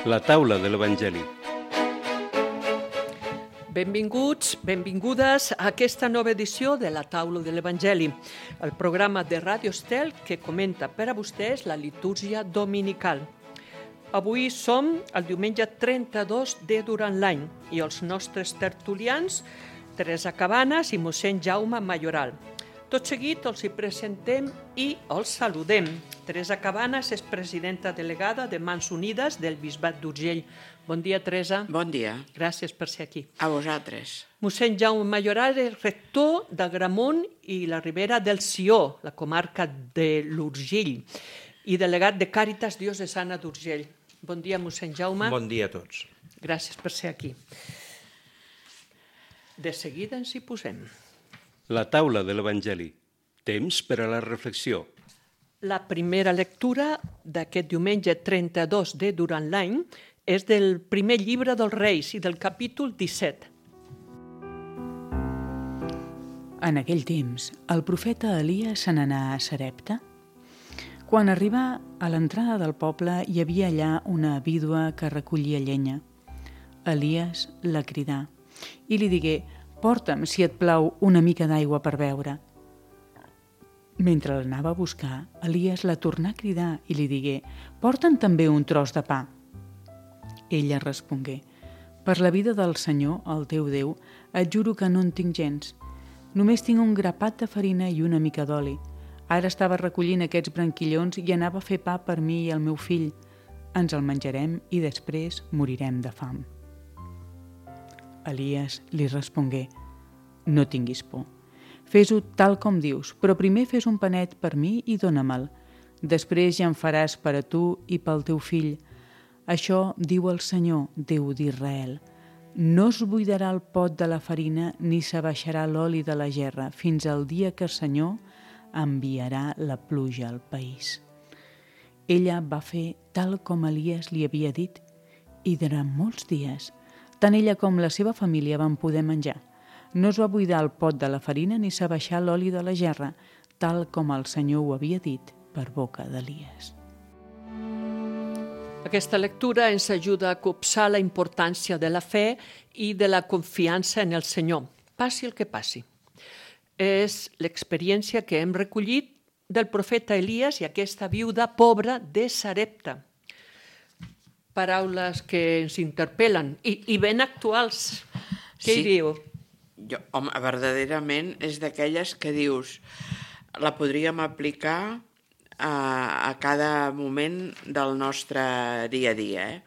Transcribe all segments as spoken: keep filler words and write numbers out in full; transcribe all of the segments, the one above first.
La taula de l'Evangeli. Benvinguts, benvingudes a aquesta nova edició de la taula de l'Evangeli, el programa de Ràdio Estel que comenta per a vostès la litúrgia dominical. Avui som el diumenge trenta-dos de durant l'any i els nostres tertulians, Teresa Cabanes i mossèn Jaume Mayoral. Tot seguit els hi presentem i els saludem. Teresa Cabanes és presidenta delegada de Mans Unides del Bisbat d'Urgell. Bon dia, Teresa. Bon dia. Gràcies per ser aquí. A vosaltres. Mossèn Jaume Mayoral és rector d'Agramunt i la Ribera del Sió, la comarca de l'Urgell, i delegat de Càritas Diocesana d'Urgell. Bon dia, mossèn Jaume. Bon dia a tots. Gràcies per ser aquí. De seguida ens hi posem. La taula de l'Evangeli. Temps per a la reflexió. La primera lectura d'aquest diumenge trenta-dos de durant l'any és del primer llibre dels Reis i del capítol disset. En aquell temps, el profeta Elies se n'anà a Sarepta. Quan arribà a l'entrada del poble, hi havia allà una vídua que recollia llenya. Elies la cridà i li digué: «Porta'm, si et plau, una mica d'aigua per beure». Mentre l'anava a buscar, Elies la tornà a cridar i li digué: «Porta'm també un tros de pa». Ella respongué: «Per la vida del Senyor, el teu Déu, et juro que no en tinc gens. Només tinc un grapat de farina i una mica d'oli. Ara estava recollint aquests branquillons i anava a fer pa per mi i el meu fill. Ens el menjarem i després morirem de fam». Elies li respongué: «No tinguis por. Fes-ho tal com dius, però primer fes un panet per mi i dóna-me'l. Després ja en faràs per a tu i pel teu fill. Això diu el Senyor, Déu d'Israel. No es buidarà el pot de la farina ni s'abaixarà l'oli de la gerra fins al dia que el Senyor enviarà la pluja al país». Ella va fer tal com Elies li havia dit i durant molts dies tant ella com la seva família van poder menjar. No es va buidar el pot de la farina ni s'abaixar l'oli de la gerra, tal com el Senyor ho havia dit per boca d'Elies. Aquesta lectura ens ajuda a copsar la importància de la fe i de la confiança en el Senyor, passi el que passi. És l'experiència que hem recollit del profeta Elies i aquesta viuda pobra de Sarepta. Paraules que ens interpel·len i, i ben actuals. Què Sí. hi diu? Jo, home, verdaderament és d'aquelles que dius la podríem aplicar a, a cada moment del nostre dia a dia. Eh?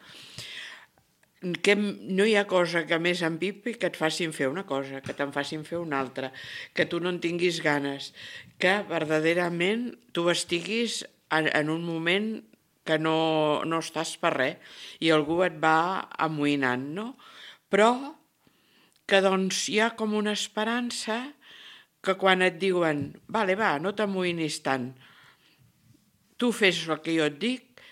Que no hi ha cosa que més empipi que et facin fer una cosa, que te'n facin fer una altra, que tu no en tinguis ganes, que verdaderament tu estiguis en, en un moment que no, no estàs per res i algú et va amoïnant, no? Però que doncs hi ha com una esperança que quan et diuen «Vale, va, no t'amoïnis tant, tu fes el que jo et dic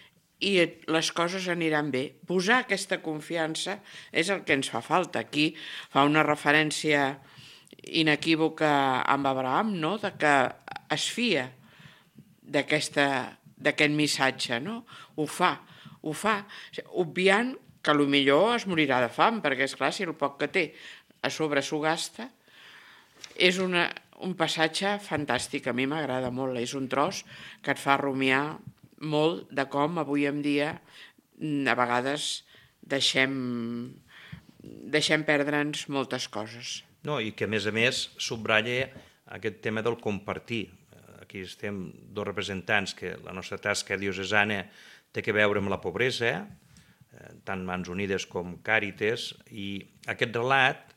i et, les coses aniran bé». Posar aquesta confiança és el que ens fa falta. Aquí fa una referència inequívoca amb Abraham, no? De que es fia d'aquesta d'aquest missatge, no? Ho fa, ho fa, obviant que potser es morirà de fam, perquè, esclar, si el poc que té a sobre s'ho gasta. És una, un passatge fantàstic, a mi m'agrada molt, és un tros que et fa rumiar molt de com avui en dia a vegades deixem, deixem perdre'ns moltes coses. No, i que, a més a més, subratlla aquest tema del compartir. Aquí estem dos representants que la nostra tasca diocesana té que veure amb la pobresa, tant Mans Unides com Càritas, i aquest relat,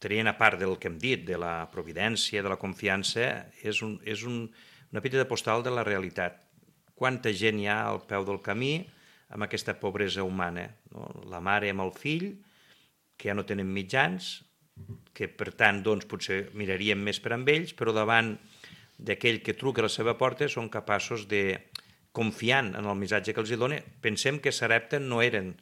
traient a part del que hem dit, de la providència, de la confiança, és, un, és un, una petita postal de la realitat. Quanta gent hi ha al peu del camí amb aquesta pobresa humana, no? La mare amb el fill, que ja no tenen mitjans, que per tant doncs, potser miraríem més per amb ells, però davant d'aquell que truca a la seva porta són capaços de, confiant en el missatge que els hi dona, pensem que Sarepta no eren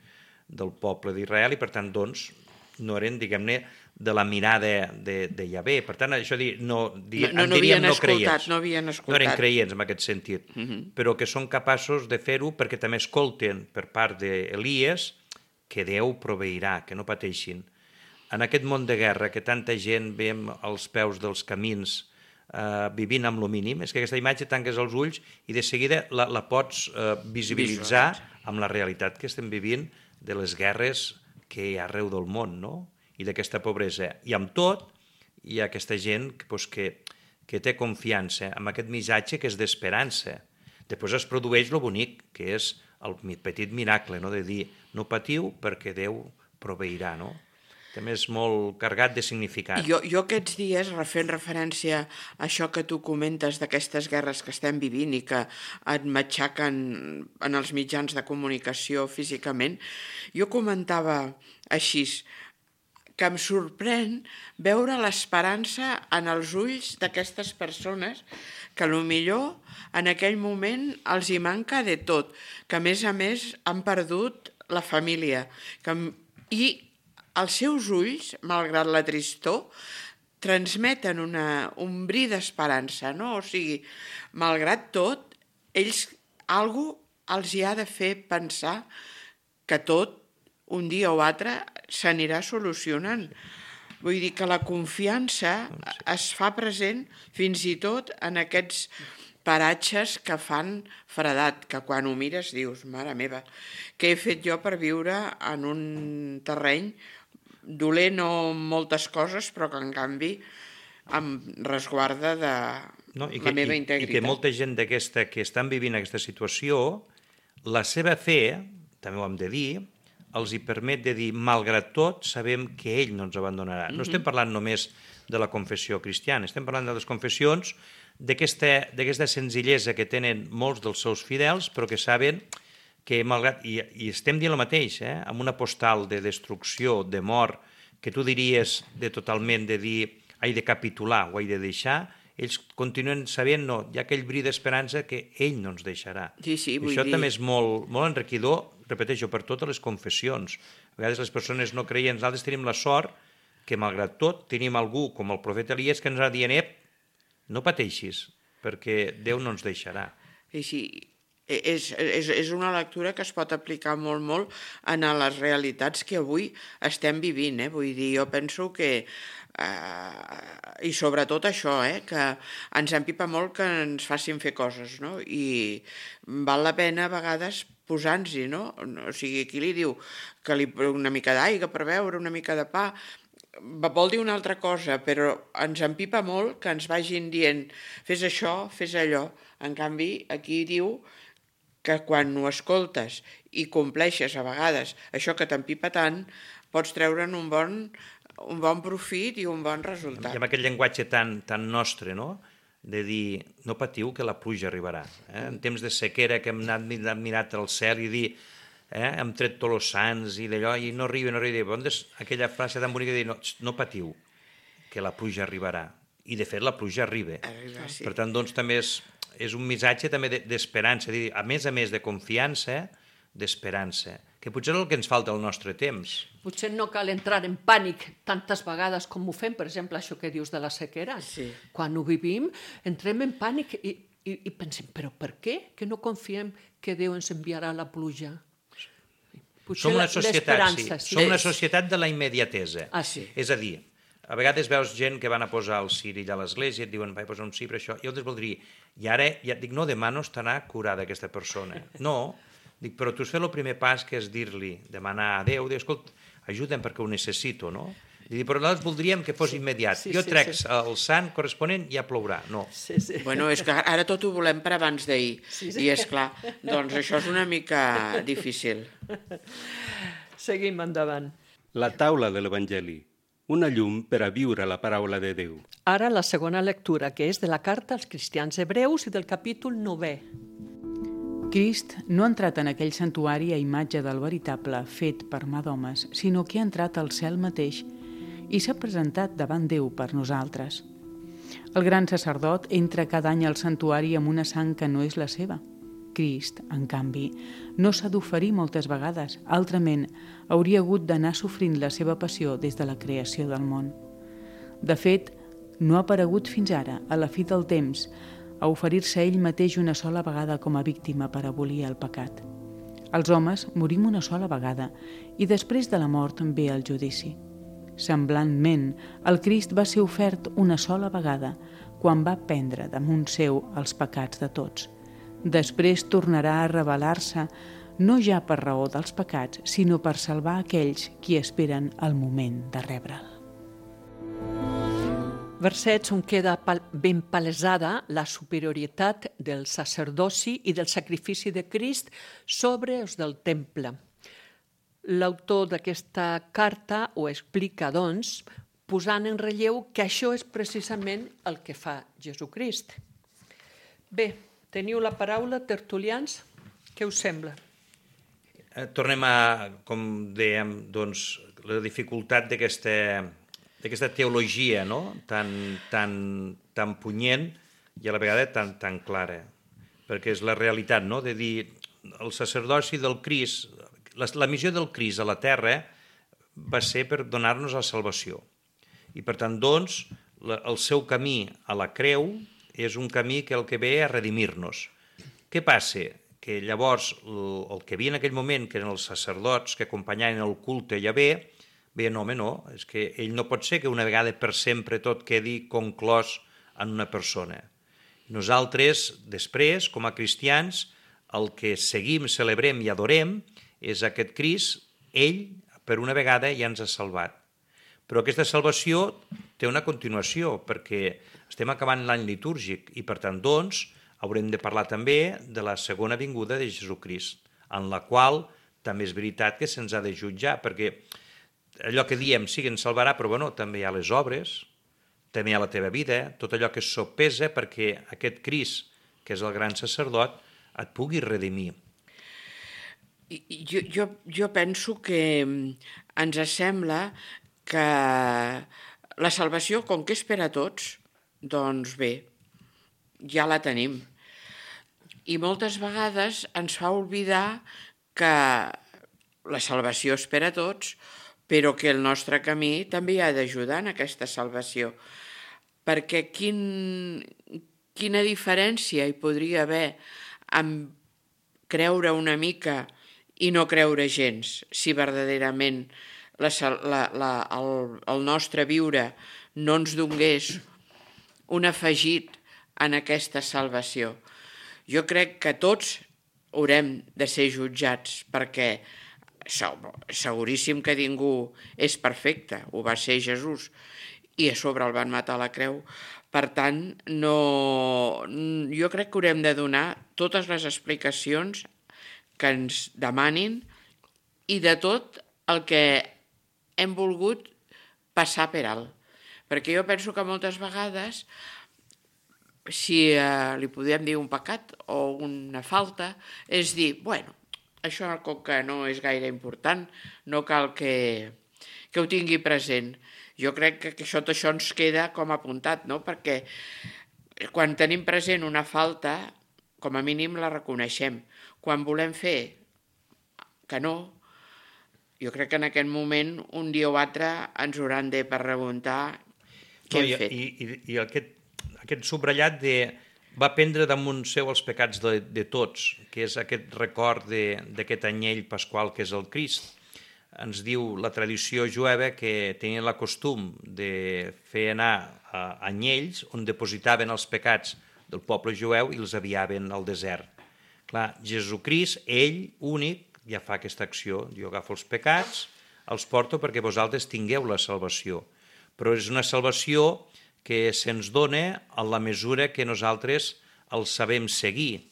del poble d'Israel i per tant doncs no eren, diguem-ne, de la mirada de, de Yahvé. Per tant, això dir, no, di, no, no, no diríem havien no escoltat, creients. no havien escoltat. No eren creients en aquest sentit, Uh -huh. però que són capaços de fer-ho perquè també escolten per part d'Elies que Déu proveirà, que no pateixin. En aquest món de guerra que tanta gent veiem als peus dels camins eh, vivint amb lo mínim, és que aquesta imatge tanques els ulls i de seguida la, la pots eh, visibilitzar amb la realitat que estem vivint de les guerres que hi ha arreu del món, no? I d'aquesta pobresa. I amb tot, hi ha aquesta gent que, pues, que, que té confiança en aquest missatge que és d'esperança. Després es produeix lo bonic, que és el petit miracle, no? De dir, no patiu perquè Déu proveirà, no? També és molt carregat de significat. Jo, jo aquests dies, fent referència a això que tu comentes d'aquestes guerres que estem vivint i que et matxaquen en els mitjans de comunicació físicament, jo comentava així, que em sorprèn veure l'esperança en els ulls d'aquestes persones que potser en aquell moment els hi manca de tot, que a més a més han perdut la família. Que, I els seus ulls, malgrat la tristor, transmeten una, un bri d'esperança, no? O sigui, malgrat tot, ells, algú els hi ha de fer pensar que tot, un dia o altre, s'anirà solucionant. Vull dir que la confiança es fa present fins i tot en aquests paratges que fan fredat, que quan ho mires dius, mare meva, què he fet jo per viure en un terreny dolent o moltes coses, però que en canvi em resguarda de no, i la que, meva i, integritat. I que molta gent d'aquesta que estan vivint aquesta situació, la seva fe, també ho hem de dir, els hi permet de dir, malgrat tot, sabem que ell no ens abandonarà. No estem parlant només de la confessió cristiana, estem parlant de les confessions, d'aquesta senzillesa que tenen molts dels seus fidels, però que saben que, malgrat... I, i estem dient el mateix, eh? Amb una postal de destrucció, de mort, que tu diries de totalment de dir, he de capitular o he de deixar, ells continuen sabent, no, hi ha aquell bri d'esperança que ell no ens deixarà. Sí, sí, vull això dir... també és molt, molt enriquidor, repeteixo, per totes les confessions. A vegades les persones no creien, nosaltres tenim la sort que, malgrat tot, tenim algú com el profeta Elies que ens ha dient, ep, no pateixis, perquè Déu no ens deixarà. Sí, sí. És, és, és una lectura que es pot aplicar molt, molt en les realitats que avui estem vivint. Eh? Vull dir, jo penso que, eh, i sobretot això, eh, que ens empipa molt que ens facin fer coses, no? I val la pena a vegades posar-nos-hi, no? O sigui, aquí li diu que li una mica d'aigua per beure, una mica de pa, vol dir una altra cosa, però ens empipa molt que ens vagin dient fes això, fes allò. En canvi, aquí diu que quan ho escoltes i compleixes a vegades això que t'empipa tant, pots treure'n un bon, un bon profit i un bon resultat. I amb aquest llenguatge tan, tan nostre, no?, de dir, no patiu que la pluja arribarà. Eh? En temps de sequera que hem anat mirat al cel i dir, eh, hem tret tots els sants i d'allò, i no arriba, no arriba. Doncs aquella frase tan bonica de dir, no, no patiu que la pluja arribarà. I de fet la pluja arriba. Arriba, sí. Per tant, doncs, també és, és un missatge també d'esperança, de, a més a més de confiança, d'esperança, que potser és el que ens falta al nostre temps. Potser no cal entrar en pànic tantes vegades com ho fem, per exemple, això que dius de la sequera. Sí. Quan ho vivim, entrem en pànic i, i, i pensem, però per què? Que no confiem que Déu ens enviarà la pluja? Potser Som una societat, sí. sí. Som una societat de la immediatesa. Ah, sí. És a dir, a vegades veus gent que van a posar el cirill a l'església i et diuen, vaig posar un sí per això, i altres vol dir, i ara, ja et dic, no, demà no estarà curada aquesta persona. No, dic, però tu has fet el primer pas, que és dir-li, demanar a Déu, dir, escolta, ajuda'm perquè ho necessito, no? Dic, però nosaltres voldríem que fos immediat. Sí, jo sí, trec sí. el sant corresponent i ja plourà. No. Sí, sí. Bueno, és que ara tot ho volem per abans d'ahir. Sí, sí. I és clar, doncs això és una mica difícil. Seguim endavant. La taula de l'Evangeli, una llum per a viure la paraula de Déu. Ara la segona lectura, que és de la carta als cristians hebreus i del capítol novè. Crist no ha entrat en aquell santuari a imatge del veritable fet per mà d'homes, sinó que ha entrat al cel mateix i s'ha presentat davant Déu per nosaltres. El gran sacerdot entra cada any al santuari amb una sang que no és la seva. Crist, en canvi, no s'ha d'oferir moltes vegades, altrament hauria hagut d'anar sofrint la seva passió des de la creació del món. De fet, no ha aparegut fins ara, a la fi del temps, a oferir-se ell mateix una sola vegada com a víctima per abolir el pecat. Els homes morim una sola vegada i després de la mort ve el judici. Semblantment, el Crist va ser ofert una sola vegada, quan va prendre damunt seu els pecats de tots. Després tornarà a revelar-se, no ja per raó dels pecats, sinó per salvar aquells qui esperen el moment de rebre'l. Versets on queda ben palesada la superioritat del sacerdoci i del sacrifici de Crist sobre els del temple. L'autor d'aquesta carta ho explica, doncs, posant en relleu que això és precisament el que fa Jesucrist. Bé, teniu la paraula, tertulians, què us sembla? Tornem a, com dèiem, doncs, la dificultat d'aquesta d'aquesta teologia, no? tan, tan, tan punyent i a la vegada tan, tan clara, perquè és la realitat, no? De dir, el sacerdoci del Crist, la, la missió del Crist a la terra va ser per donar-nos la salvació. I per tant, doncs, la, el seu camí a la creu és un camí que el que ve a redimir-nos. Què passa? Que llavors el, el que havia en aquell moment, que eren els sacerdots que acompanyaven el culte a Yahvé, bé, no, home, no, és que ell no pot ser que una vegada per sempre tot quedi conclòs en una persona. Nosaltres, després, com a cristians, el que seguim, celebrem i adorem és aquest Crist, ell, per una vegada, ja ens ha salvat. Però aquesta salvació té una continuació, perquè estem acabant l'any litúrgic i, per tant, doncs, haurem de parlar també de la segona vinguda de Jesucrist, en la qual també és veritat que se'ns ha de jutjar, perquè allò que diem, sí que ens salvarà, però bueno, també hi ha les obres, també hi ha la teva vida, tot allò que es sopesa perquè aquest Crist, que és el gran sacerdot, et pugui redimir. Jo, jo, jo penso que ens sembla que la salvació, com que és per a tots, doncs bé, ja la tenim. I moltes vegades ens fa oblidar que la salvació és per a tots, però que el nostre camí també hi ha d'ajudar en aquesta salvació. Perquè quin, quina diferència hi podria haver amb creure una mica i no creure gens, si verdaderament la, la, la, el, el nostre viure no ens donés un afegit en aquesta salvació. Jo crec que tots haurem de ser jutjats, perquè seguríssim que ningú és perfecte, ho va ser Jesús, i a sobre el van matar a la creu. Per tant, no, jo crec que haurem de donar totes les explicacions que ens demanin i de tot el que hem volgut passar per alt. Perquè jo penso que moltes vegades, si eh, li podem dir un pecat o una falta, és dir, bueno, això com que no és gaire important, no cal que, que ho tingui present. Jo crec que això, això ens queda com apuntat, no? Perquè quan tenim present una falta, com a mínim la reconeixem. Quan volem fer que no, jo crec que en aquest moment, un dia o altre, ens hauran de preguntar què hem fet. I, i, i aquest, aquest subratllat de va prendre damunt seu els pecats de, de tots, que és aquest record d'aquest anyell pasqual que és el Crist. Ens diu la tradició jueva que tenien la costum de fer anar a anyells on depositaven els pecats del poble jueu i els aviaven al desert. Clar, Jesucrist, ell, únic, ja fa aquesta acció. Jo agafo els pecats, els porto perquè vosaltres tingueu la salvació. Però és una salvació que se'ns dona en la mesura que nosaltres els sabem seguir.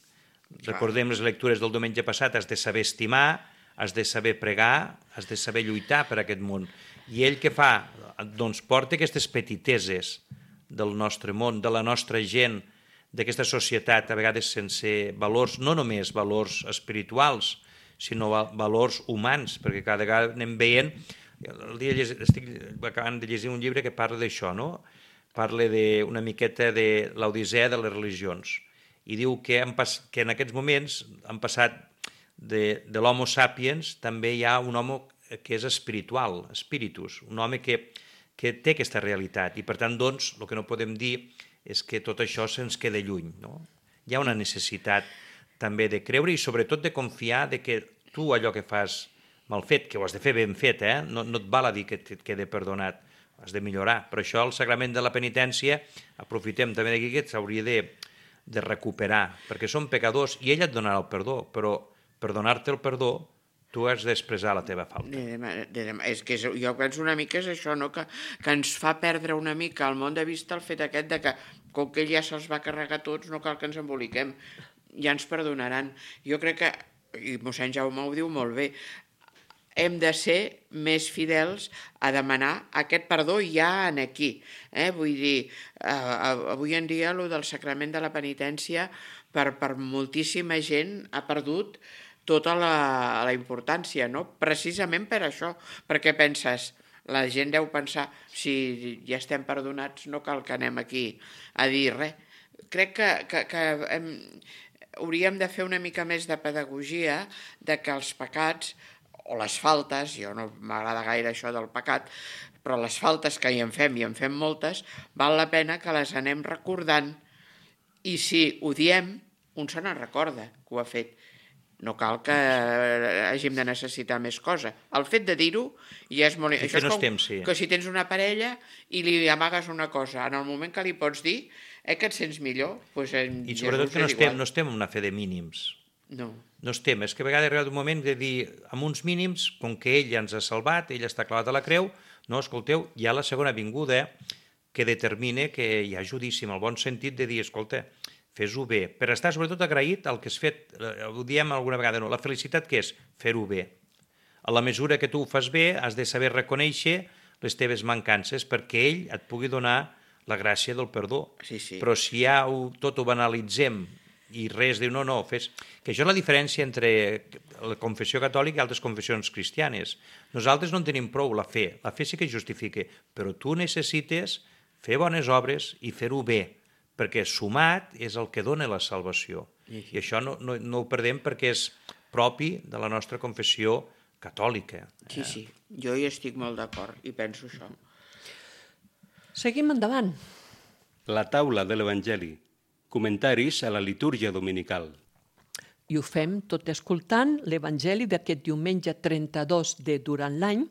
Recordem les lectures del diumenge passat, has de saber estimar, has de saber pregar, has de saber lluitar per aquest món. I ell què fa? Doncs porta aquestes petiteses del nostre món, de la nostra gent, d'aquesta societat, a vegades sense valors, no només valors espirituals, sinó valors humans, perquè cada vegada anem veient... El dia estic acabant de llegir un llibre que parla d'això, no? Parla de, una miqueta de l'Odissea de les religions. i diu que, han pas, que en aquests moments han passat de, de l'homo sapiens, també hi ha un home que és espiritual, spiritus, un home que, que té aquesta realitat, i per tant, doncs, el que no podem dir és que tot això se'ns queda lluny, no? Hi ha una necessitat també de creure i sobretot de confiar de que tu allò que fas mal fet, que ho has de fer ben fet, eh? no, no et val a dir que et quede perdonat, has de millorar. Per això el sagrament de la penitència, aprofitem també d'aquí que s'hauria de, de recuperar, perquè som pecadors i ell et donarà el perdó, però per donar-te el perdó tu has d'expressar la teva falta. És que és, jo penso una mica és això, no? que, que ens fa perdre una mica al món de vista el fet aquest de que, com que ell ja se'ls va carregar tots, no cal que ens emboliquem, ja ens perdonaran. Jo crec que, i mossèn Jaume ho diu molt bé, hem de ser més fidels a demanar aquest perdó ja en aquí. Eh? Vull dir, eh, avui en dia el del sacrament de la penitència per, per moltíssima gent ha perdut tota la, la importància, no? Precisament per això, perquè penses, la gent deu pensar, si ja estem perdonats no cal que anem aquí a dir res. Crec que, que, que hem, hauríem de fer una mica més de pedagogia de que els pecats o les faltes, jo no m'agrada gaire això del pecat, però les faltes que hi en fem, i en fem moltes, val la pena que les anem recordant, i si ho diem, un se n'en recorda que ho ha fet. No cal que hàgim de necessitar més cosa. El fet de dir-ho ja és molt... Això és com temps, sí. que si tens una parella i li amagues una cosa, en el moment que li pots dir, eh, que et sents millor, doncs en I sobretot que no estem, no estem en una fe de mínims. No. No estem. És que a vegades ha arribat un moment de dir, amb uns mínims, com que ell ja ens ha salvat, ell està clavat a la creu, no, escolteu, hi ha la segona vinguda que determina que hi ha judici, en el bon sentit de dir, escolta, fes-ho bé, per estar sobretot agraït al que has fet, ho diem alguna vegada, no, la felicitat què és? Fer-ho bé. A la mesura que tu ho fas bé, has de saber reconèixer les teves mancances perquè ell et pugui donar la gràcia del perdó. Sí, sí. Però si ja ho, tot ho banalitzem i res diu, no, no, fes... Que això és la diferència entre la confessió catòlica i altres confessions cristianes. Nosaltres no en tenim prou la fe, la fe sí que justifica, però tu necessites fer bones obres i fer-ho bé, perquè sumat és el que dona la salvació. I això no, no, no ho perdem perquè és propi de la nostra confessió catòlica. Sí, sí, jo hi estic molt d'acord i penso això. Seguim endavant. La taula de l'Evangeli. Comentaris a la litúrgia dominical. I ho fem tot escoltant l'Evangeli d'aquest diumenge trenta-dos de durant l'any,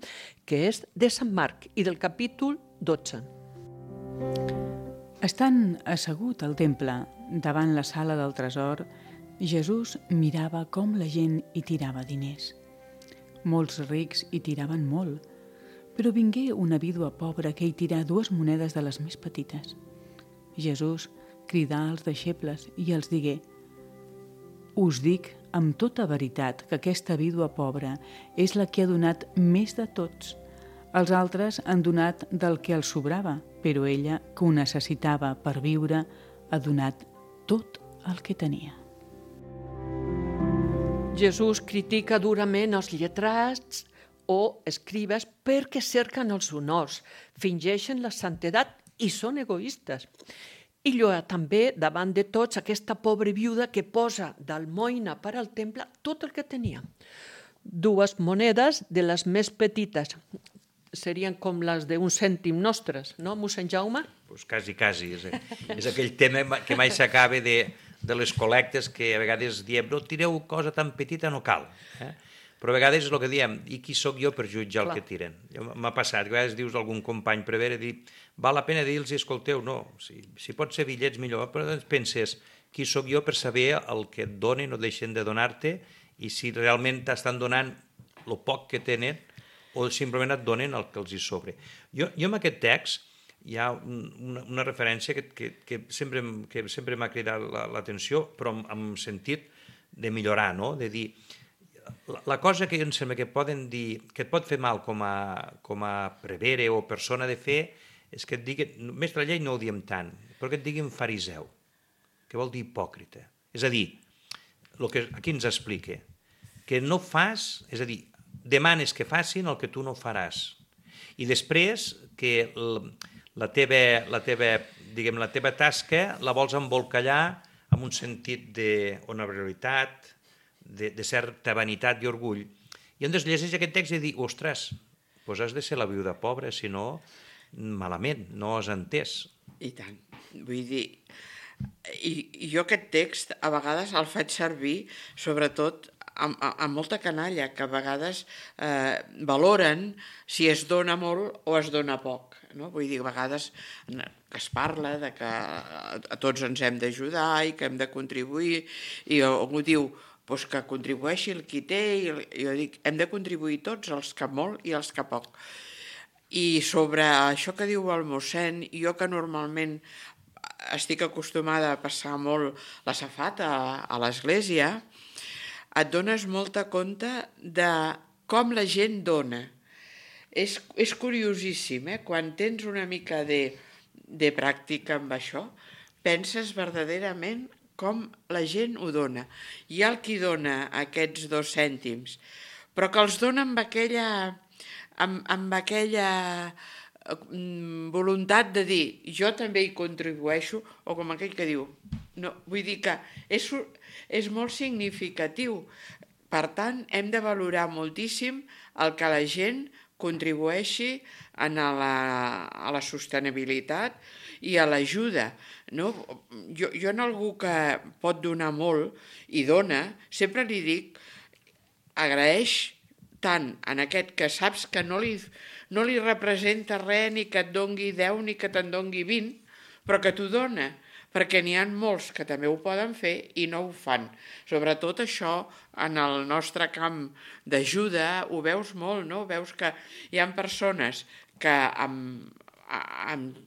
que és de Sant Marc i del capítol dotze. Estant assegut al temple, davant la sala del tresor, Jesús mirava com la gent hi tirava diners. Molts rics hi tiraven molt, però vingué una vídua pobra que hi tirà dues monedes de les més petites. Jesús cridà als deixebles i els digué: «Us dic amb tota veritat que aquesta vídua pobra és la que ha donat més de tots. Els altres han donat del que els sobrava, però ella, que ho necessitava per viure, ha donat tot el que tenia». Jesús critica durament els lletrats o escribes perquè cerquen els honors, fingeixen la santedat i són egoistes. I lloa també davant de tots aquesta pobra viuda que posa d'almoina per al temple tot el que tenia. Dues monedes de les més petites, serien com les d'un cèntim nostres, no, mossèn Jaume? Pues quasi, quasi. És, és aquell tema que mai s'acaba de, de les col·lectes que a vegades diem, no tireu cosa tan petita, no cal. Eh? Però a vegades és el que diem, i qui sóc jo per jutjar el que tiren? M'ha passat, a vegades dius a algun company prevere, dir, val la pena dir-los, escolteu, no, si, si pot ser bitllets millor, però doncs penses, qui sóc jo per saber el que et donen o deixen de donar-te i si realment t'estan donant el poc que tenen o simplement et donen el que els hi sobre. Jo, jo en aquest text hi ha una, una referència que, que, que sempre, que sempre m'ha cridat l'atenció, però en, en sentit de millorar, no? De dir, la, la cosa que em sembla que poden dir, que et pot fer mal com a, com a prevere o persona de fe, és que et diguin, mestre llei no ho diem tant, però que et diguin fariseu, que vol dir hipòcrita. És a dir, el que aquí ens explica, que no fas, és a dir, demanes que facin el que tu no faràs. I després que la teva, la teva, diguem, la teva tasca la vols embolcallar amb un sentit d'honorabilitat, de, de certa vanitat i orgull. I on es llegeix aquest text i dic, ostres, doncs has de ser la viuda pobra, si no, malament, no has entès. I tant. Vull dir, i, i jo aquest text a vegades el faig servir, sobretot amb, amb molta canalla, que a vegades eh, valoren si es dona molt o es dona poc. No? Vull dir, a vegades que es parla de que a tots ens hem d'ajudar i que hem de contribuir, i algú diu doncs que contribueixi el qui té, i jo dic, hem de contribuir tots, els que molt i els que poc. I sobre això que diu el mossèn, jo que normalment estic acostumada a passar molt la safata a, a l'església, et dones molta compte de com la gent dona. És, és curiosíssim, eh? Quan tens una mica de, de pràctica amb això, penses verdaderament com la gent ho dona. Hi ha el qui dona aquests dos cèntims, però que els dona amb aquella, amb, amb aquella voluntat de dir jo també hi contribueixo, o com aquell que diu, no, vull dir que és, és molt significatiu. Per tant, hem de valorar moltíssim el que la gent contribueixi en la, a la sostenibilitat i a l'ajuda. No? Jo, jo en algú que pot donar molt i dona, sempre li dic, agraeix tant en aquest que saps que no li, no li representa res, ni que et dongui deu ni que te'n dongui vint, però que t'ho dona, perquè n'hi ha molts que també ho poden fer i no ho fan. Sobretot això, en el nostre camp d'ajuda, ho veus molt, no? Veus que hi ha persones que amb, amb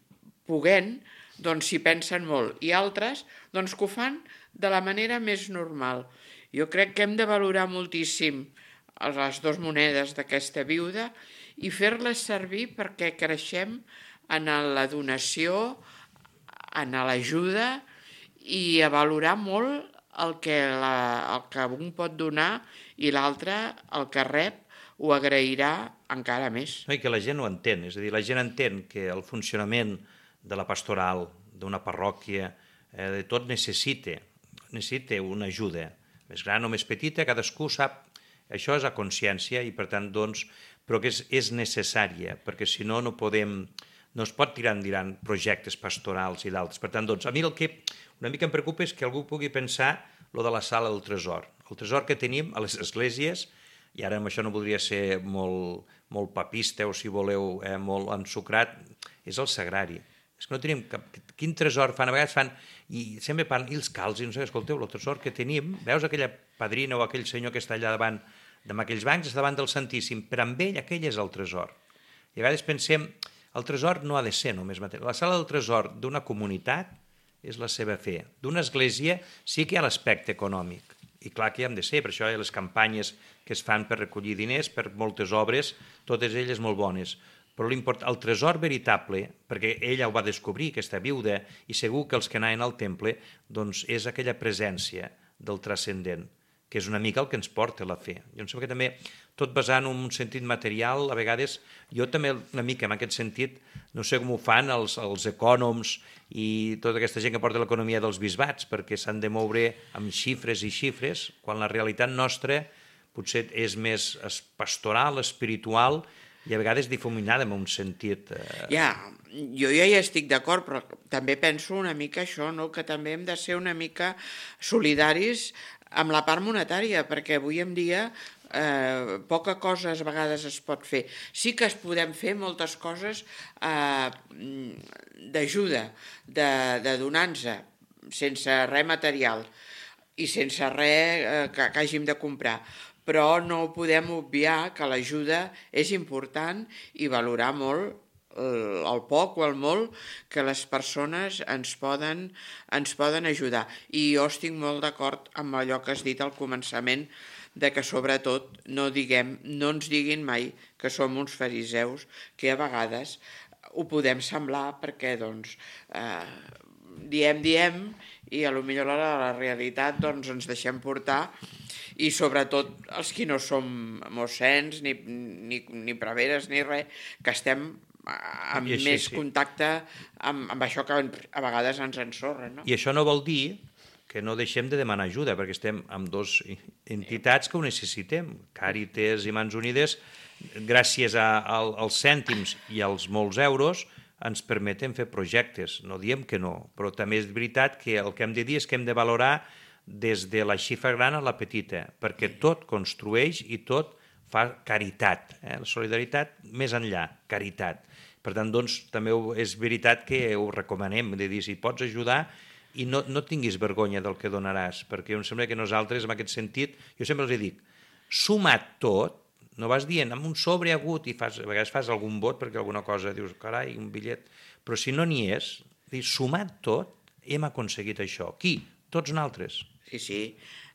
poguent doncs s'hi pensen molt, i altres doncs que ho fan de la manera més normal. Jo crec que hem de valorar moltíssim les dues monedes d'aquesta viuda i fer-les servir perquè creixem en la donació, en l'ajuda, i a valorar molt el que, la, el que un pot donar, i l'altre, el que rep, ho agrairà encara més. No, i que la gent ho entén, és a dir, la gent entén que el funcionament de la pastoral, d'una parròquia, eh, de tot necessita, necessita una ajuda, més gran o més petita, cadascú sap, això és a consciència, i per tant, doncs, però que és, és necessària, perquè si no, no podem... no es pot tirar endavant projectes pastorals i d'altres. Per tant, doncs, a mi el que una mica em preocupa és que algú pugui pensar lo de la sala del tresor. El tresor que tenim a les esglésies, i ara amb això no voldria ser molt, molt papista o, si voleu, eh, molt ensucrat, és el sagrari. És que no tenim cap... Quin tresor fan? A vegades fan... I sempre parlen, i els calçs, i no sé, escolteu, el tresor que tenim, veus aquella padrina o aquell senyor que està allà davant, amb aquells bancs, està davant del Santíssim, però amb ell aquell és el tresor. I a vegades pensem... El tresor no ha de ser només material. La sala del tresor d'una comunitat és la seva fe. D'una església sí que hi ha l'aspecte econòmic. I clar que hi han de ser, per això hi ha les campanyes que es fan per recollir diners, per moltes obres, totes elles molt bones. Però el tresor veritable, perquè ella ho va descobrir, aquesta viuda, i segur que els que anaven al temple, doncs és aquella presència del transcendent, que és una mica el que ens porta la fe. Jo em sembla que també, tot basant en un sentit material, a vegades, jo també una mica en aquest sentit, no sé com ho fan els, els ecònoms i tota aquesta gent que porta l'economia dels bisbats, perquè s'han de moure amb xifres i xifres, quan la realitat nostra potser és més pastoral, espiritual, i a vegades difuminada en un sentit... Eh... Ja, jo ja hi estic d'acord, però també penso una mica això, no? Que també hem de ser una mica solidaris amb la part monetària, perquè avui en dia eh, poca cosa a vegades es pot fer. Sí que es podem fer moltes coses eh, d'ajuda, de, de donança, sense res material i sense res eh, que, que hàgim de comprar. Però no podem obviar que l'ajuda és important i valorar molt el poc o el molt que les persones ens poden, ens poden ajudar. I jo estic molt d'acord amb allò que has dit al començament, de que sobretot no, diguem, no ens diguin mai que som uns fariseus, que a vegades ho podem semblar perquè doncs, eh, diem, diem, i a lo millor a la realitat doncs, ens deixem portar, i sobretot els que no som mossens, ni, ni, ni preveres, ni res, que estem amb més sí. contacte amb, amb això que a vegades ens ensorra. No? I això no vol dir que no deixem de demanar ajuda, perquè estem amb dues entitats que ho necessitem. Càritas i Mans Unides, gràcies a, a, als cèntims i als molts euros, ens permeten fer projectes. No diem que no, però també és veritat que el que hem de dir és que hem de valorar des de la xifra gran a la petita, perquè tot construeix i tot fa caritat. Eh? La solidaritat més enllà, caritat. Per tant, doncs, també és veritat que ho recomanem, de dir, si pots ajudar i no, no tinguis vergonya del que donaràs, perquè em sembla que nosaltres, en aquest sentit, jo sempre els dic, sumat tot, no vas dient, amb un sobre agut, i fas, a vegades fas algun vot perquè alguna cosa dius, carai, un bitllet, però si no n'hi és, sumat tot, hem aconseguit això. Qui? Tots nosaltres. Sí, sí,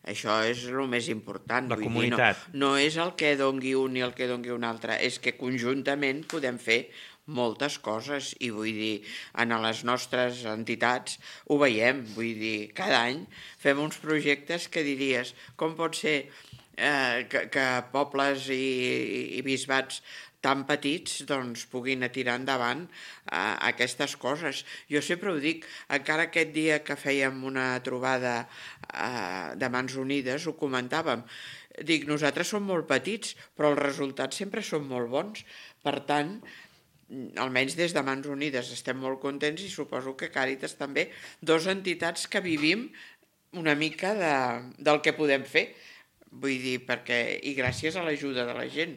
això és el més important. La vull comunitat. Dir, no, no és el que dongui un i el que dongui un altre, és que conjuntament podem fer moltes coses i vull dir, en les nostres entitats ho veiem, vull dir, cada any fem uns projectes que diries, com pot ser eh, que, que pobles i, i bisbats tan petits doncs, puguin tirar endavant eh, aquestes coses. Jo sempre ho dic, encara aquest dia que fèiem una trobada eh, de Mans Unides, ho comentàvem, dic, nosaltres som molt petits, però els resultats sempre són molt bons, per tant, almenys des de Mans Unides estem molt contents i suposo que Càritas també, dues entitats que vivim una mica de, del que podem fer, vull dir, perquè, i gràcies a l'ajuda de la gent.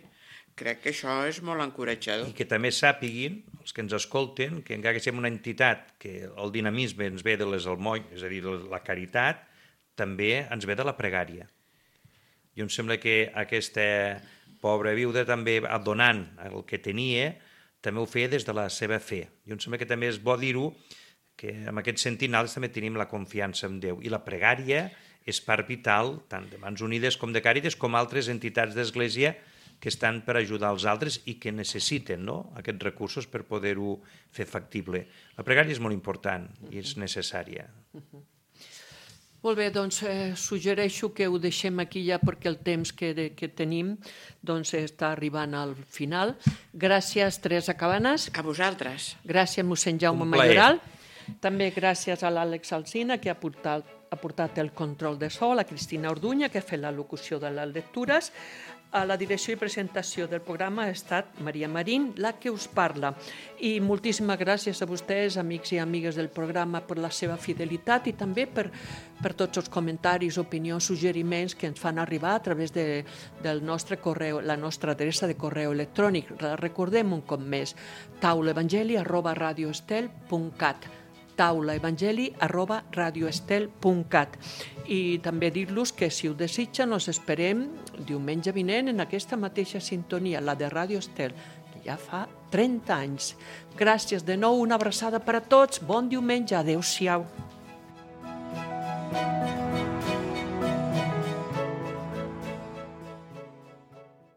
Crec que això és molt encoratjador. I que també sàpiguin, els que ens escolten, que encara que siguem una entitat que el dinamisme ens ve de les almoines, és a dir, la caritat, també ens ve de la pregària. I em sembla que aquesta pobra viuda també, donant el que tenia, també ho feia des de la seva fe. I em sembla que també és bo dir-ho, que en aquest sentit nosaltres també tenim la confiança en Déu. I la pregària és part vital, tant de Mans Unides com de Càritas, com altres entitats d'Església que estan per ajudar els altres i que necessiten, no?, aquests recursos per poder-ho fer factible. La pregària és molt important i és necessària. Molt bé, doncs eh, suggereixo que ho deixem aquí ja perquè el temps que, de, que tenim doncs, està arribant al final. Gràcies, Teresa Cabanes. A vosaltres. Gràcies, mossèn Jaume Un plaer. Mayoral. També gràcies a l'Àlex Alsina, que ha portat, ha portat el control de so, a la Cristina Orduña, que ha fet la locució de les lectures. A la direcció i presentació del programa ha estat Maria Marín, la que us parla. I moltíssimes gràcies a vostès, amics i amigues del programa, per la seva fidelitat i també per, per tots els comentaris, opinions, suggeriments que ens fan arribar a través de, del nostre correu, la nostra adreça de correu electrònic. Recordem un cop més, taulaevangeli arroba radioestel punt cat. taulaevangeli arroba radioestel punt cat. I també dir-los que si ho desitgen els esperem diumenge vinent en aquesta mateixa sintonia, la de Radio Estel, que ja fa trenta anys. Gràcies de nou, una abraçada per a tots, bon diumenge, adeu-siau.